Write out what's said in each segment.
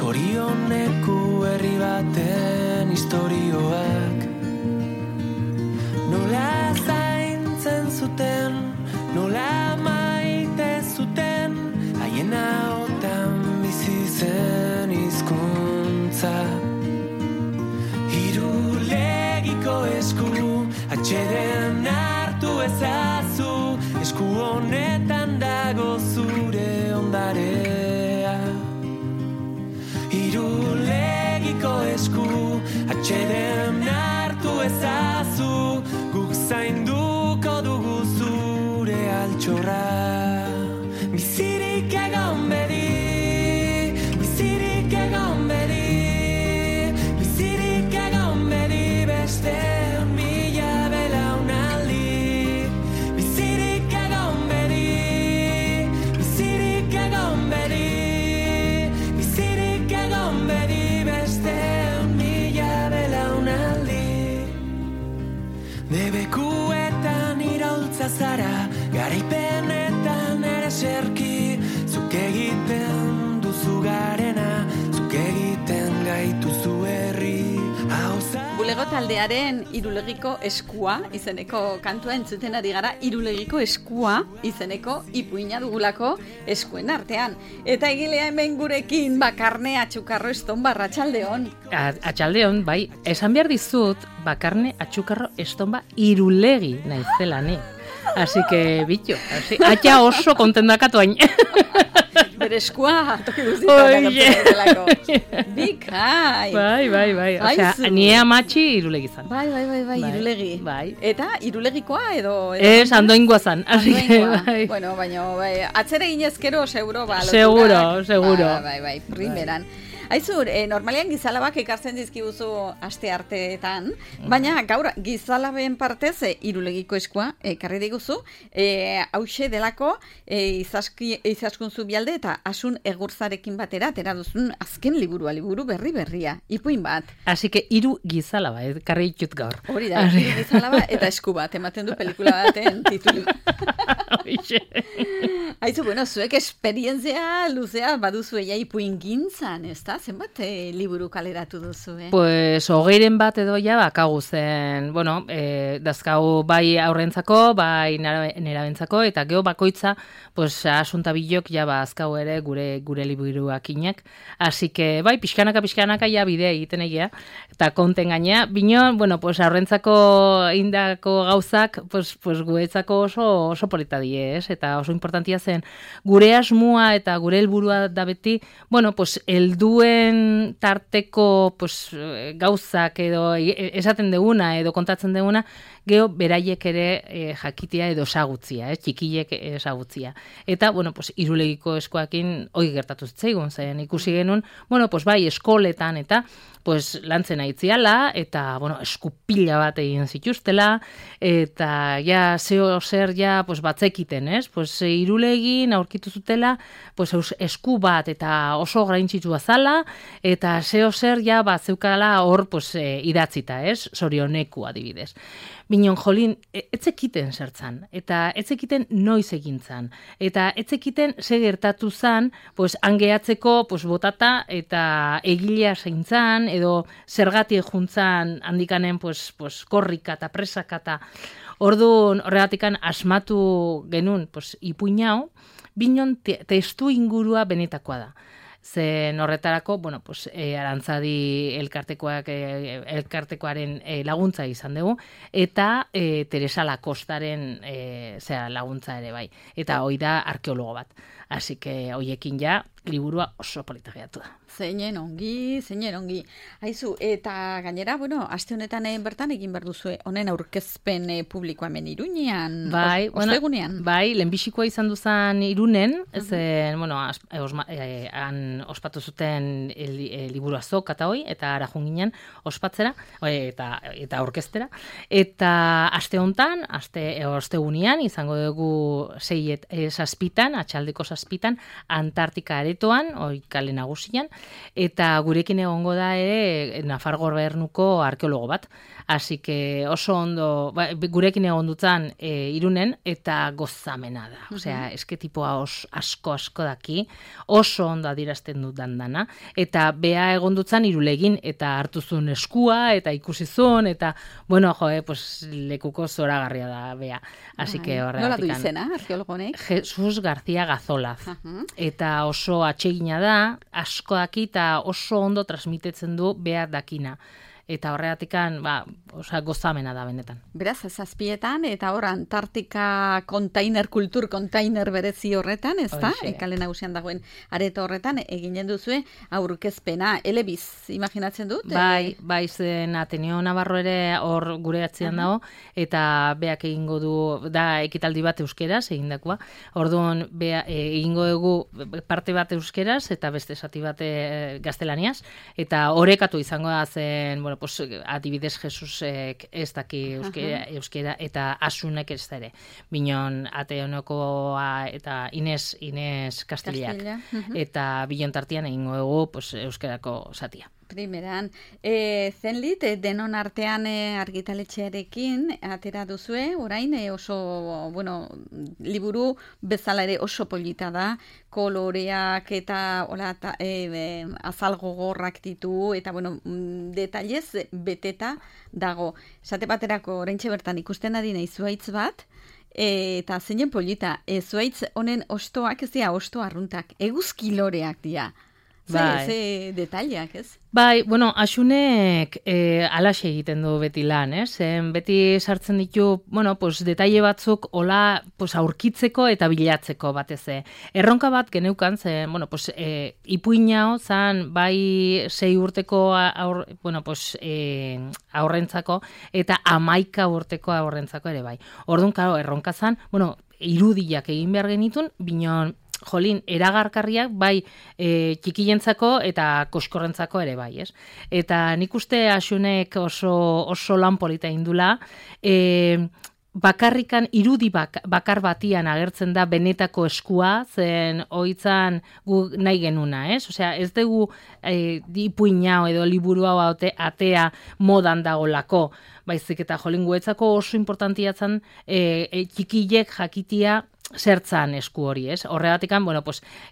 zorioneku herri baten istorioak. Nola zaintzen zuten, nola maite zuten, haien ahotan bizi zen hizkuntza. Irulegiko esku, atxeden hartu ezazu, esku honetan dago zure ondarea. Irulegiko esku, atxeden hartu ezazu, guk zainduko dugu zure altxorra. Bizirik egon bedi, bizirik egon bedi, bizirik egon bedi beste mila belaunaldi. Bizirik egon bedi, bizirik egon bedi, bizirik egon bedi beste mila belaunaldi. Debekuetan iraultza zara, garaipenetan ere serki, zuk egiten duzu garena, zuk egiten gaituzu herri. Bulego taldearen Irulegiko eskua izeneko kantua entzuten ari gara. Irulegiko eskua izeneko ipuina dugulako eskuen artean. Eta egilea hemen gurekin Bakarne Atxukarro Estonba, atxaldeon. Atxaldeon, bai, esan behar dizut Bakarne Atxukarro Estonba Irulegi naizela ni. Así que, bitxo, atxa oso kontendakatu hain. Bere eskua toki guztietan agertzen. Bikai. Bai. Osea, ni amatxi Irulegi zan. Bai, Irulegi. Bai. Eta Irulegikoa edo ez, Andoingoa zan. Así que, bai. Bueno, baina atzera ginezkero seguro ba. Seguro. Bai, primeran. Aizur, normalian gizalabak ekartzen dizkiguzu aste arteetan, baina gaur gizalaben partez Irulegiko eskua ekarri diguzu, hauxe delako izaskun Zubialde eta Asun Egurzarekin batera atera duzun azken liburu berria, ipuin bat. Así que hiru gizalaba ekarri ditut gaur. Hori da, hiru gizalaba eta esku bat, ematen du pelikula baten titulu. Aizu, bueno, zuek esperientzia luzea baduzu ipuin gintzan, ez da? Zenbat liburu kaleratu duzu, Pues, 20 bat edo ja bakagu zen, bueno, dazkau bai aurrentzako, bai nerabentzako, eta geho bakoitza, pues, asuntabilok ja azkau ere gure liburuak inak. Así que, bai, pixkanaka ja bidea egiten egia, eta konten gaina, bino, bueno, pues, aurrentzako indako gauzak, pues guetzako oso polita die, eta oso importantia zen, gure asmua eta gure helburua da beti, bueno, pues, helduen tarteko pues, gauzak edo esaten deguna edo kontatzen deguna, geho beraiek ere jakitea edo ezagutzia, txikilek ezagutzia. Eta, bueno, pues, Irulegiko eskuakin hori gertatu zitzaigun, zen ikusi genuen, bueno, pues, bai, eskoletan eta pues, lantzen aitziala, eta, bueno, eskupila bat egin zituztela, eta, ja, zeo zer, ja, pues, batzekiten, pues, Irulegin aurkitu zutela, pues, esku bat, eta oso graintzitua zala, eta zeo zer, ja, zeukala hor, pues, idatzita, zorioneku adibidez. Binon, jolin, etzekiten zertzan, eta etzekiten noiz egintzan, eta etzekiten ze gertatu zan, pues, angeatzeko, pues, botata, eta egilea zeintzan, edo zergatik juntzan handikanen, pues, korrika eta presaka eta orduan horregatikan asmatu genuen, pues, ipuinau, binon testu ingurua benetakoa da. Zen horretarako, bueno, pues, Arantzadi elkartekoaren laguntza izan dugu, eta Teresa Lakostaren laguntza ere bai. Eta hoi da arkeologo bat. Así que hoiekin ja, liburua oso polita geratu da. Zeinen ongi. Aizu, eta gainera, bueno, aste honetan bertan egin behar duzue, honen aurkezpen publikoa hemen Iruñean, ostegunean. Bai, lehenbizikoa izan duzan Irunen, zen, bueno, han ospatu zuten liburu azok eta hoi, eta ara junginen ospatzera, eta aurkeztera. Eta aste honetan, ostegunean, izango dugu 6 atxaldeko 6 zazpitan, Antartika aretoan, kale nagusian, eta gurekin egongo da ere Nafar gobernuko arkeologo bat. Así que oso ondo, gurekin egon dutzen Irunen, eta gozamena da. Osea, eske tipoa asko daki, oso ondo adierazten dut dana, eta bea egon dutzen Irulegin, eta hartuzun eskua, eta ikusizun, eta, bueno, pues lekuko zoragarria da bea. Así que horregatik. Nola du izena, arkeologonek? Jesus García Gazolaz. Eta oso atsegina da, asko daki, eta oso ondo transmitetzen du bea dakina. Eta horregatikan, gozamena da benetan. Beraz, zazpietan, eta hor Antartika kultur kontainer berezi horretan, ez da? Kale nagusian dagoen areto horretan, eginen duzue aurkezpena, elebiz, imaginatzen dut? Bai, zen Ateneo Navarro ere hor gure atzian dago, eta beak egingo du, da ekitaldi bat euskeraz, egindakoa. Orduan, egingo dugu parte bat euskeraz, eta beste zati bat gaztelaniaz, eta orekatu izango da zen, pues, adibidez Jesusek ez daki euskera eta Asunek ez ere. Binon Ateonokoa eta Inés Castillak. Eta bilon tartian egingo dugu pues, euskerako zatia. Primeran, zenlit, denon artean argitaletxearekin atera duzue, orain oso, liburu bezala ere oso polita da, koloreak eta azal gogorrak ditu, eta, detailez beteta dago. Esate baterako, oraintxe bertan ikusten adina izuaitz bat, eta zeinen polita, zuaitz honen ostoak, ez dira osto arruntak, eguzkiloreak dira. Ze detaileak, ez? Bai, Asunek alaxe egiten du beti lan, ez? Beti sartzen ditu, detaile batzuk hola aurkitzeko eta bilatzeko batez. Erronka bat geneukan, ipuinao zan bai 6 urteko aurrentzako eta 11 urteko aurrentzako ere bai. Orduan, erronka zan, irudiak egin behar genitun, binon jolin, eragarkarriak bai txikientzako eta koskorrentzako ere bai, ez? Eta nik uste Asunek oso lan polita indula, bakarrikan irudi bakar batian agertzen da benetako eskua, zen oitzan gu nahi genuna, ez? Osea, ez dugu ipuina edo liburu hau atea modan dagolako, baizik eta jolin guetzako oso importantiatzen txikilek jakitia zertzan esku hori, ez? Horregatikan,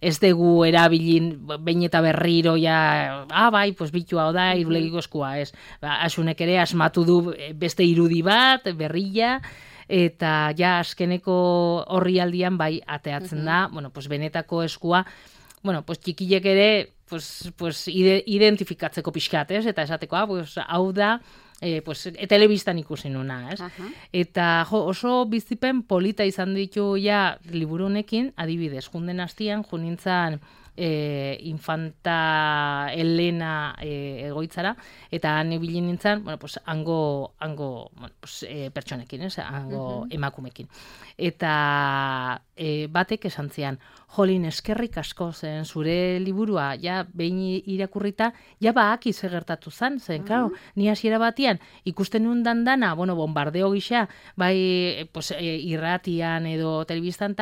ez dugu erabilin behin eta berriro bitua da, irulegiko eskua, ez? Asunek ere asmatu du beste irudi bat, berrila, eta ja azkeneko horri aldian bai ateatzen da, benetako eskua, txikilek ere, identifikatzeko pixkat, ez? Eta esateko, hau da, telebistan ikusi nuna, ez? Eta oso bizipen polita izan ditu liburu honekin, adibidez, junden hastian, junintzan Infanta Elena egoitzara, eta han ibilin nintzen, hango pertsonekin, ez? Hango emakumekin. Eta batek esan zian, jolin eskerrik asko zen zure liburua, behin irakurrita, baaki gertatu zen, klaro, ni hasiera batian, ikusten nuen dana, bombardeo gisa, bai irratian edo telebistan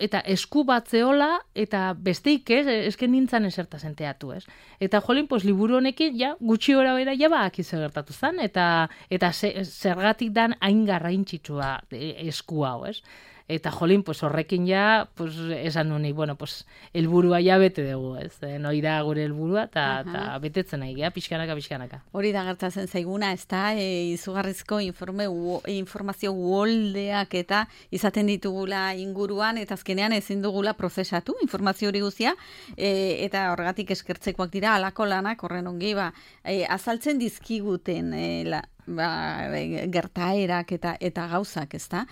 eta esku bat zehola, eta besteik ez, esken nintzen eserta zenteatu, ez? Eta jolin, liburu honekin, gutxi gora bera, baaki gertatu zen, eta zergatik dan hain garrantzitsua esku hau, ez? Eta jolin, horrekin esan nuen, helburua bete dugu, ez? Hori da gure helburua, eta betetzen nahi, pixkanaka. Hori da gertatzen zaiguna, ez da, izugarrizko informazio uholdeak eta izaten ditugula inguruan, eta azkenean ezin dugula prozesatu informazio hori guztia, eta horregatik eskertzekoak dira, alako lanak horren ongi, azaltzen dizkiguten gertaerak eta gauzak, ez da?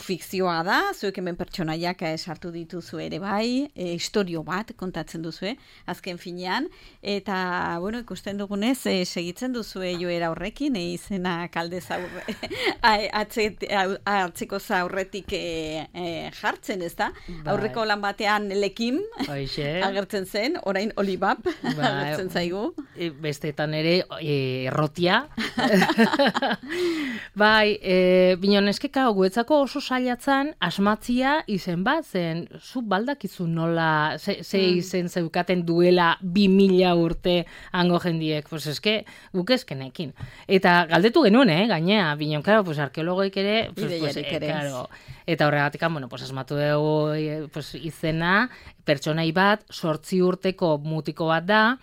Fikzioa da, zuek hemen pertsonaiak sartu dituzu ere bai, historio bat kontatzen duzue, azken finean, eta, ikusten dugunez, segitzen duzue joera horrekin, izena kaldez atzeko zaurretik jartzen, ez da? Aurreko lan batean lekim agertzen zen, orain olibab agertzen zaigu. bestetan ere errotia. Bai, binon eskeka guetzako oso saiatzen asmatzia izen bat, zen zu baldakizu nola, ze izen zeukaten duela 2000 urte hango jendiek, pues eske guk eskenekin. Eta galdetu genuen, gainea, binon, claro, pues arkeologoik ere, pues, claro, eta horregatik, bueno, pues asmatu dugu pues, izena, pertsonai bat, 8 urteko mutiko bat da,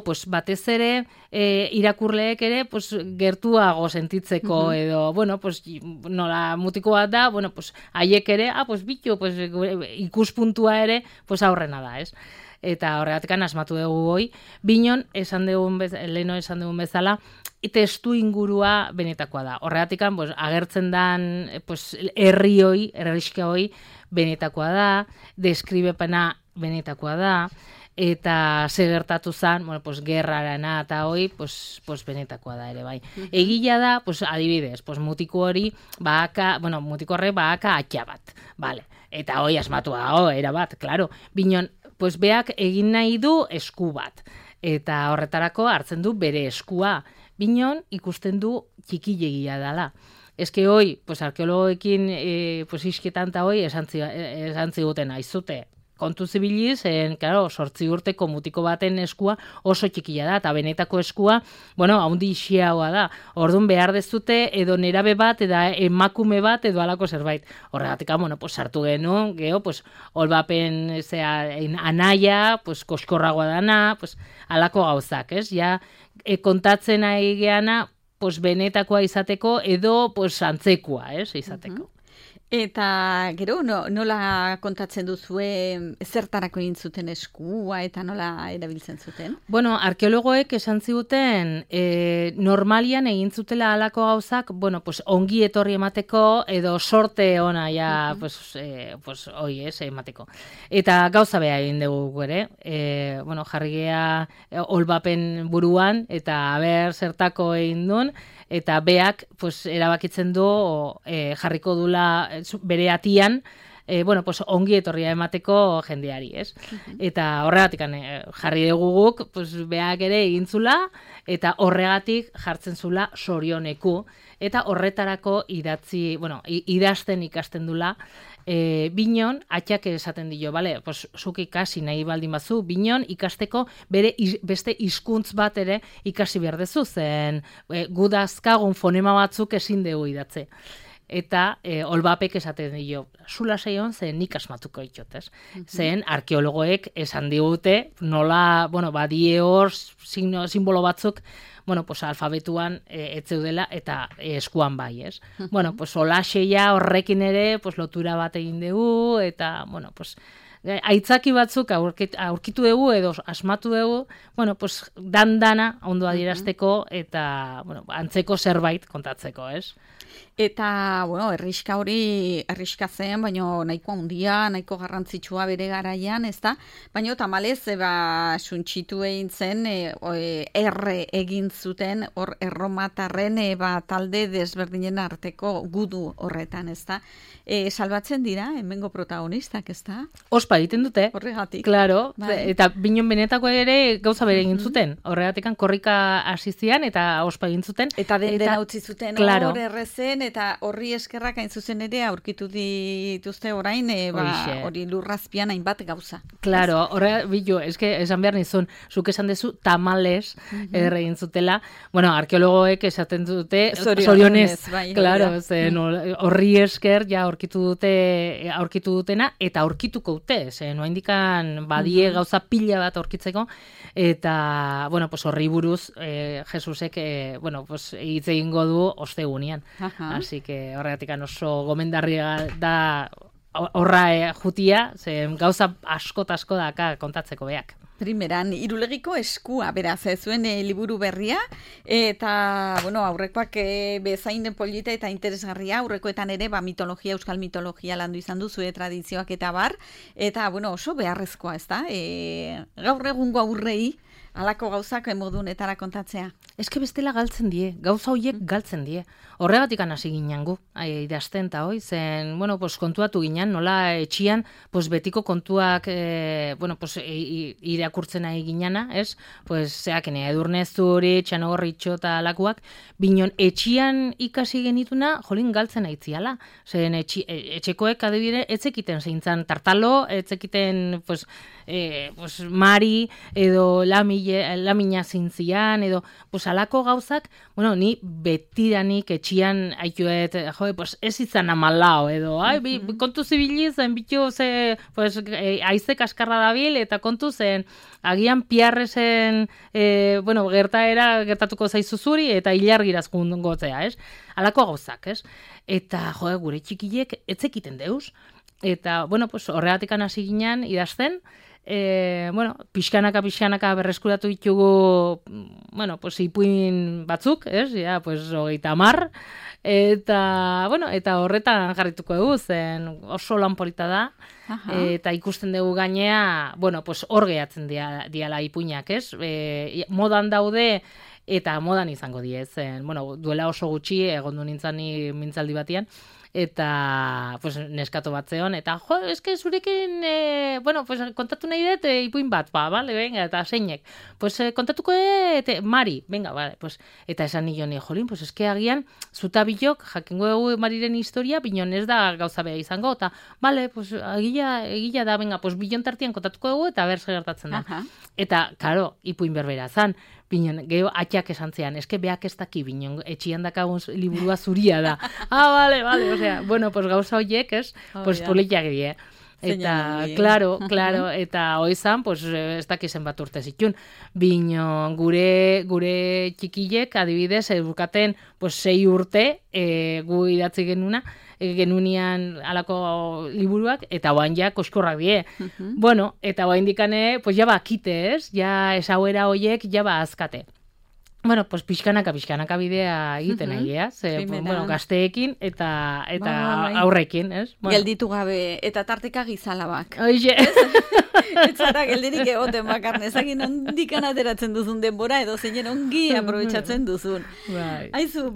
pues batez ere irakurleek ere pues, gertuago sentitzeko edo, bueno, pues nola mutiko bat da, bueno, pues haiek ere, pues bitu, pues ikuspuntua ere, pues aurrena da, ez? Eta horregatik asmatu dugu hoi, binon, leheno esan dugun bezala, testu ingurua benetakoa da. Horregatik, pues, agertzen dan pues, herriska hoi benetakoa da, deskribepena benetakoa da, eta gertatu zen, bueno, pues, gerrarana eta hoi, pues benetakoa da ere, bai. Egia da, pues, adibidez, pues, mutiko horre bahaka atxa bat, vale. Eta hoi asmatua, erabat, claro. Binon, pues, beak egin nahi du esku bat, eta horretarako hartzen du bere eskua. Binon, ikusten du txikilegia dela. Eske hoi, pues, arkeologoekin pues, isketan eta hoi esan ziguten aizute. Kontu zibiliz, claro, 8 urteko mutiko baten eskua oso txikia da, eta benetako eskua, bueno, haundi xiagoa da. Orduan behar dezute edo nerabe bat, edo emakume bat, edo alako zerbait. Horregatik, bueno, pues, sartu genuen, geho, pues, holbapen, anaia, pues, koskorragoa dana, pues, alako gauzak, ez? Ja, kontatzen ari geana, pues, benetakoa izateko, edo, pues, antzekoa, ez? Izateko. Eta gero, nola kontatzen duzue zertarako egin zuten eskua eta nola erabiltzen zuten? Bueno, arkeologoek esan ziguten normalian egin zutela halako gauzak, bueno, pues ongi etorri emateko edo sorte ona ja, pues hoi emateko. Eta gauza beha egin dugu ere, bueno, jarri gea holbapen buruan eta aber zertako egin duen, eta beak pues, erabakitzen du jarriko dula bere atian, bueno, pues, ongi etorria emateko jendeari, ez? Eta horregatik jarri dugu guk, pues, beak ere egintzula, eta horregatik jartzen zula sorioneku, eta horretarako idazten ikasten dula, binon, atxak esaten dio, bale, pues, zuk ikasi nahi baldin bazu, binon ikasteko beste hizkuntz bat ere ikasi behar dezu, zen gu dazkagun fonema batzuk ezin dugu idatze. Eta holbapek esaten dio, zula saion zen nik asmatuko itxotez. Zen arkeologoek esan digute, nola, bueno, badie hor simbolo batzuk, bueno, pues alfabetuan etzeudela eta eskuan bai, ez? Bueno, pues olaxeia horrekin ere, pues lotura bat egin dugu, eta, bueno, pues aitzaki batzuk aurkitu dugu edo asmatu dugu, bueno, pues dana ondo adierazteko eta, bueno, antzeko zerbait kontatzeko, ez? Eta, bueno, herriska zen, baina nahiko handia, nahiko garrantzitsua bere garaian, ez da? Baina tamalez, suntxitu egin zen, erre egin zuten, hor erromatarren, talde desberdinen arteko gudu horretan, ez da? Salbatzen dira, hemengo protagonistak, ez da? Ospa egiten dute. Horregatik. Claro, eta binon benetako ere gauza bere egin zuten. Horregatik korrika hasi zian eta ospa egin zuten. Eta dena utzi zuten hor errezen, eta horri eskerrak hain zuzen ere aurkitu dituzte orain, hori lurrazpian hainbat gauza. Claro, esan behar nizun, zuk esan dezu tamales erre egin zutela, bueno, arkeologoek esaten dute zorionez, claro, horri esker ja aurkitu dutena, eta aurkituko dute, noa indikan badie gauza pila bat aurkitzeko, eta, bueno, pues horri buruz Jesusek, bueno, pues hitz egingo du ostegunean. Así que horregatik oso gomendarria da horra jutia, gauza asko daka kontatzeko beak. Primeran, Irulegiko eskua, beraz, zuen liburu berria, eta, bueno, aurrekoak bezain polita eta interesgarria, aurrekoetan ere, euskal mitologia landu izan du, zue tradizioak eta bar, eta, bueno, oso beharrezkoa, ez da? Gaur egungo aurrei, Halako gauzak modunetara kontatzea. Eske bestela galtzen die, gauza horiek galtzen die. Horregatik hasi ginen gu, idazten eta hoi, zen, bueno, pues, kontuatu ginen, nola etxian, pues, betiko kontuak, bueno, pues, irakurtzen nahi ginena, ez? Pues, zeak, Edurne Zuri, Txanogorritxo eta alakuak, binon etxian ikasi genituna, jolin galtzen aitziala. Zen, etxekoek adibide, etzekiten zeintzan tartalo, etzekiten, pues, Mari, edo lamina zintzian, edo, pues, alako gauzak, bueno, ni betiranik etxian aituet, pues, ez izan amalao, edo, kontu zibili zen, bitu, pues, aize kaskarra dabil, eta kontu zen, agian piarresen, bueno, gertatuko zaizu zuri, eta hilargiraz gotzea, ez? Alako gauzak, ez? Eta, gure txikilek etzekiten deuz, eta, bueno, pues, horregatik hasi ginen idazten, bueno, pixkanaka berreskuratu ditugu, bueno, pues, ipuin batzuk, ez? Ja, pues, 30, eta, bueno, eta horretan jarrituko dugu, zen oso lan polita da, eta ikusten dugu gainea, bueno, pues, hor gehatzen diala ipuinak, ez? Modan daude, eta modan izango die, zen, bueno, duela oso gutxi, egondu nintzen ni mintzaldi batian, eta, pues, neskato bat zeon, eta, eske zurekin, bueno, pues, kontatu nahi dut, ipuin bat, vale, venga, eta zeinek, pues, kontatuko Mari, venga, vale, pues, eta esan nion, jolin, pues, eske agian, zuta bilok, jakingo dugu Mariren historia, binon ez da gauza beha izango, eta, vale, pues, egila da, venga, pues, bilon tartian kontatuko dugu, eta berz gertatzen da. Eta, karo, ipuin berbera zan, binon, geho atxak esan zean, eske beak ez daki, binon, etxian dakagun liburua zuria da. Vale, osea, bueno, pues gauza horiek, ez, pues politak die. Eta, claro, eta hoizan, pues, ez dakizen bat urte zitun. Bino, gure txikilek, adibidez, edukaten, pues, 6 urte, gu idatzi genunian alako liburuak, eta oain ja koskorrak die. Bueno, eta oain dikane, pues, jaba akite, ez? Ja, esauera horiek, jaba azkate. Bueno, pues pixkanaka bidea egiten egia, bueno, gazteekin eta aurrekin, ez? Bueno. Gelditu gabe, eta tarteka gizalabak. Oixe. Ez zara geldirik egoten bakarne, ezagin ondikan ateratzen duzun denbora, edo zeinen ongi aprobetxatzen duzun. Aizu,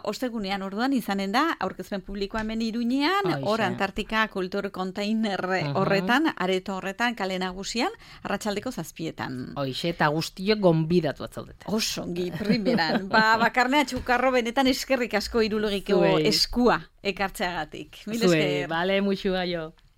ostegunean orduan izanen da, aurkezpen publikoa hemen Iruñean, hor Antartika Kultur Container horretan, areto horretan, kale nagusian, arratsaldeko 7:00. Hoixe, eta guztiok gonbidatu atzaudete. Oso ongi, primeran. Bakarnea txukarro benetan eskerrik asko Irulogiko eskua ekartzeagatik. Mil esker. Bale, muixu gaio.